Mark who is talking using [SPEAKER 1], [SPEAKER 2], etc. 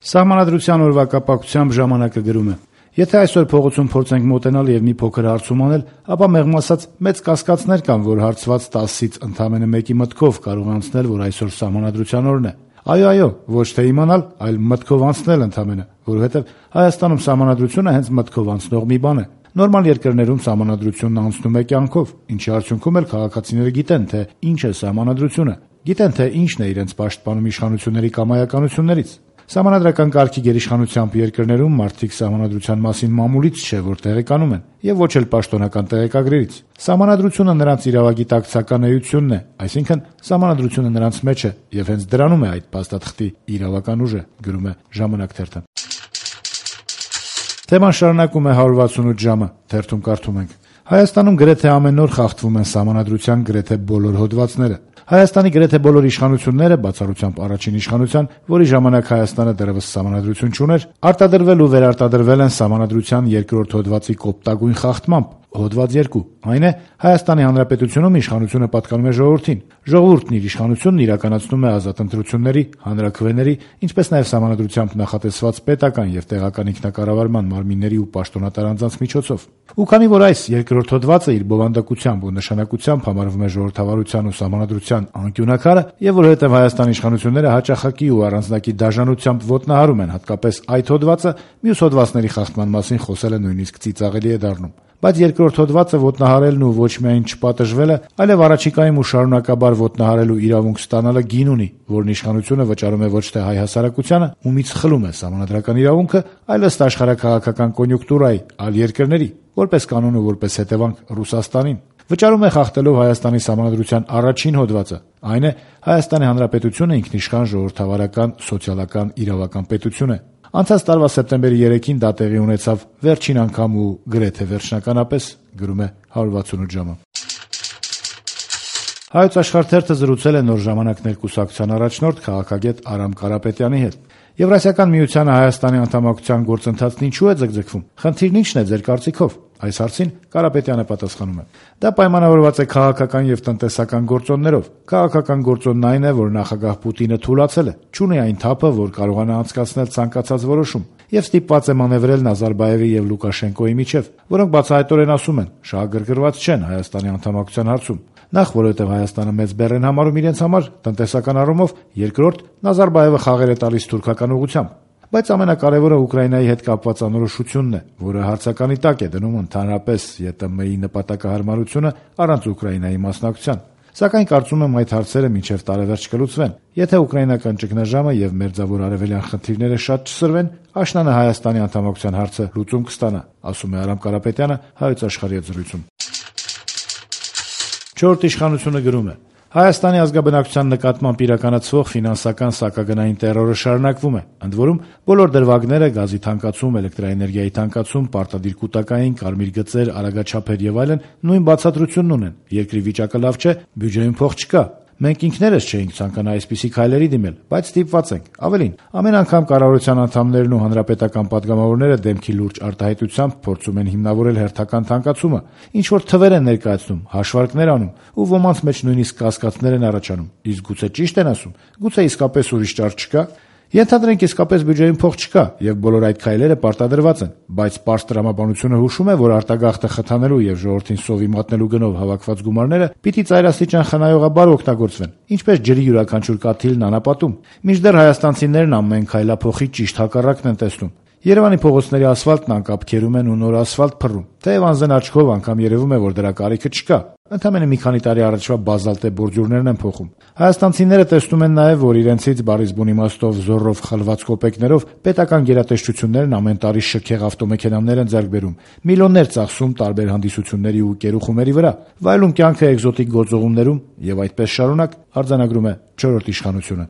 [SPEAKER 1] Սահմանադրության օրվա կապակցությամբ ժամանակը գրում է. Եթե այսօր փողոցում փորձենք մոտենալ եւ մի փոքր հարցում անել, ապա մեղմ ասած մեծ կասկածներ կան, որ հարցված 10-ից ընդամենը մեկի մտքով կարող անցնել, որ այսօր Սահմանադրության օրն է։ Այո, ոչ թե իմանալ, այլ մտքով անցնել ընդամենը, որովհետեւ Հայաստանում Սահմանադրությունը հենց մտքով անցնող մի բան է։ Նորմալ երկրներում Սահմանադրությունն անցնում է կյանքով, ինչի արդյունքում էլ քաղաքացիները գիտեն, թե ինչ է Սահմանադրությունը, գիտեն, թե ինչն է իրենց պաշտպանում իշխանությունների կամայականություններից։ Սահմանադրական կարգի գերիշխանությամբ երկրներում մարդիկ Սահմանադրության մասին մամուլից չէ, որ տեղեկանում են, եւ ոչ էլ պաշտոնական տեղեկագրերից։ Սահմանադրությունը նրանց իրավագիտակցական էությունն է, այսինքն Սահմանադրությունը նրանց մեջ է, եւ հենց դրանում է այդ փաստաթղթի իրավական ուժը, գրում է Ժամանակ թերթը։ Թեման շարունակում է 168 ժամը, թերթում կարդում ենք. Հայաստանում գրեթե ամեն օր խախտվում են Սահմանադրության գրեթե բոլոր հոդվածները։ Հայաստանի գրեթե բոլոր իշխանությունները, բացառությամբ առաջին իշխանության, որի ժամանակ Հայաստանը դեռևս Սահմանադրություն չուներ, արտադրվել ու վերարտադրվել են Սահմանադրության երկրորդ հոդվածի կոպտագույն խախտմամբ։ Հոդված 2. Այն է Հայաստանի Հանրապետությունում իշխանությունը պատկանում է ժողովրդին։ Ժողովուրդն իր իշխանությունն իրականացնում է ազատ ընտրությունների, հանրաքվեների, ինչպես նաև Սահմանադրությամբ նախատեսված պետական եւ տեղական ինքնակառավարման մարմինների ու պաշտոնատար անձանց միջոցով։ Ու քանի որ այս երկրորդ հոդվածը իր բովանդակությամբ ու նշանակությամբ համարվում է ժողովրդավարության ու Սահմանադրության անկյունակարը, եւ որովհետեւ Հայաստանի իշխանությունները հաճախակի ու առանձնակի դաժանությամբ ոտնահարում են հատկապես այդ հոդվածը, մյուս հոդվածների խախտման մասին խոսելը նույնիսկ ծիծաղելի է դառնում։ Բայց երկրորդ հոդվածը ոտնահարելն ու ոչ միայն չպատժվելը, այլև առաջիկայում ու շարունակաբար ոտնահարելու իրավունք ստանալը գին ունի, որն իշխանությունը վճարում է ոչ թե հայ հասարակությանը, ումից խլում է Սահմանադրական իրավունքը, այլ ըստ աշխարհաքաղաքական կոնյունկտուրայի, այլ երկրների, որպես կանոն ու որպես հետևանք Ռուսաստանին։ Վճարում է խախտելով Հայաստանի Սահմանադրության առաջին հոդվածը, այն է Հայաստանի Հանրապետությունը ինքնիշխան ժողովրդավարական, սոցիալական, իրավական պետություն է։ Անցած տարվա սեպտեմբերի 3-ին դա տեղի ունեցավ վերջին անգամ ու գրեթե վերջնականապես, գրում է 168 ժամը։ Հայոց աշխարհ թերթը զրուցել է Նոր ժամանակներ կուսակցության առաջնորդ քաղաքագետ Արամ Կարապետյանի հետ։ Եվրասիական միությանը Հայաստանի անդամակցության գործընթացն ինչու է ձգձգվում։ Խնդիրն ինչն է ձեր կարծիքով։ Այս հարցին Կարապետյանը պատասխանում է. Դա պայմանավորված է քաղաքական եւ տնտեսական գործոններով։ Քաղաքական գործոնն այն է, որ նախագահ Պուտինը թուլացել է, չունի այն թափը, որ կարողանա անցկացնել ցանկացած որոշում, եւ ստիպված է մանևրել Նազարբաևի եւ Լուկաշենկոյի միջեւ, որոնք բացահայտորեն ասում են, շահագրգռված չեն Հայաստանի անդամակցության հարցում։ Նախ որովհետեւ Հայաստանը մեծ բեռ են համարում իրենց համար տնտեսական առումով, երկրորդ Նազարբաևը խաղեր է տալիս թուրքական ուղղությամբ։ Բայց ամենակարևորը Ուկրաինայի հետ կապված անորոշությունն է, որը հարցականի տակ է դնում ընդհանրապես ԵՏՄ-ի նպատակահարմարությունը առանց Ուկրաինայի մասնակցության։ Սակայն կարծում եմ այդ հարցերը մինչև տարեվերջ կլուծվեն։ Եթե ուկրաինական ճգնաժամը եւ մերձավոր արևելյան խնդիրները շատ չսրվեն, աշնանը Հայաստանի անդամակցության հարցը լուծում կստանա, ասում է Արամ Կարապետյանը Հայոց աշխարհի հետ զրույցում։ Չորրորդ իշխանությունը գրում է. Հայաստանի ազգաբնակչության նկատմամբ իրականացվող ֆինանսական սակագնային տերորը շարունակվում է։ Ընդ որում, բոլոր դրվագները՝ գազի թանկացում, էլեկտրաէներգիայի թանկացում, պարտադիր կൂട്ടակային, կարմիր գծեր, արագաչափեր եւ այլն նույն բացատրությունն ունեն։ Երկրի վիճակը լավ չէ, բյուջեում փող չկա։ Մենք ինքներս չէինք ցանկանա այսպիսի քայլերի դիմել, բայց ստիպված ենք։ Ավելին, ամեն անգամ կառավարության անդամներն ու հանրապետական падգամավորները դեմքի լուրջ արտահայտությամբ փորձում են հիմնավորել հերթական թանկացումը, ինչ որ թվեր են ներկայացնում, հաշվարկներ անում, ու ոմանց մեջ նույնիսկ կասկածներ են առաջանում։ Իսկ գուցե ճիշտ են ասում, գուցե իսկապես ուրիշ ճար չկա։ Ենթադրենք իսկապես բյուջեում փող չկա եւ բոլոր այդ քայլերը պարտադրված են, բայց պարզ տրամաբանությունը հուշում է, որ արտագաղթը խթանելու եւ ժողովրդին սովի մատնելու գնով հավաքված գումարները պիտի ծայրաստիճան խնայողաբար օգտագործվեն, ինչպես ջրի յուրաքանչյուր կաթիլն անապատում։ Մինչդեռ հայաստանցիներն ամեն քայլափոխի ճիշտ հակառակն են տեսնում։ Երևանի փողոցների ասֆալտն անկապ քերում են ու նոր ասֆալտ փռում։ Թեև անզեն աչքով անգամ երևում է, որ դրա կարիքը չկա։ Ընդամենը մի քանի տարի առաջվա բազալտե բորջուրներն են փոխում։ Հայաստանցիները տեսնում են նաև, որ իրենցից բարիս բուն իմաստով զորով խլված կոպեկներով պետական գերատեսչություններն ամեն տարի շքեղ ավտոմեքենաներ են ձեռք բերում, միլիոններ ծախսում տարբեր հանդիսությունների ու կերուխումերի վրա, վայելում կյանքը էկզոտիկ գործողումներում եւ այդպես շարունակ, արձանագրում է չորրորդ իշխանությունը։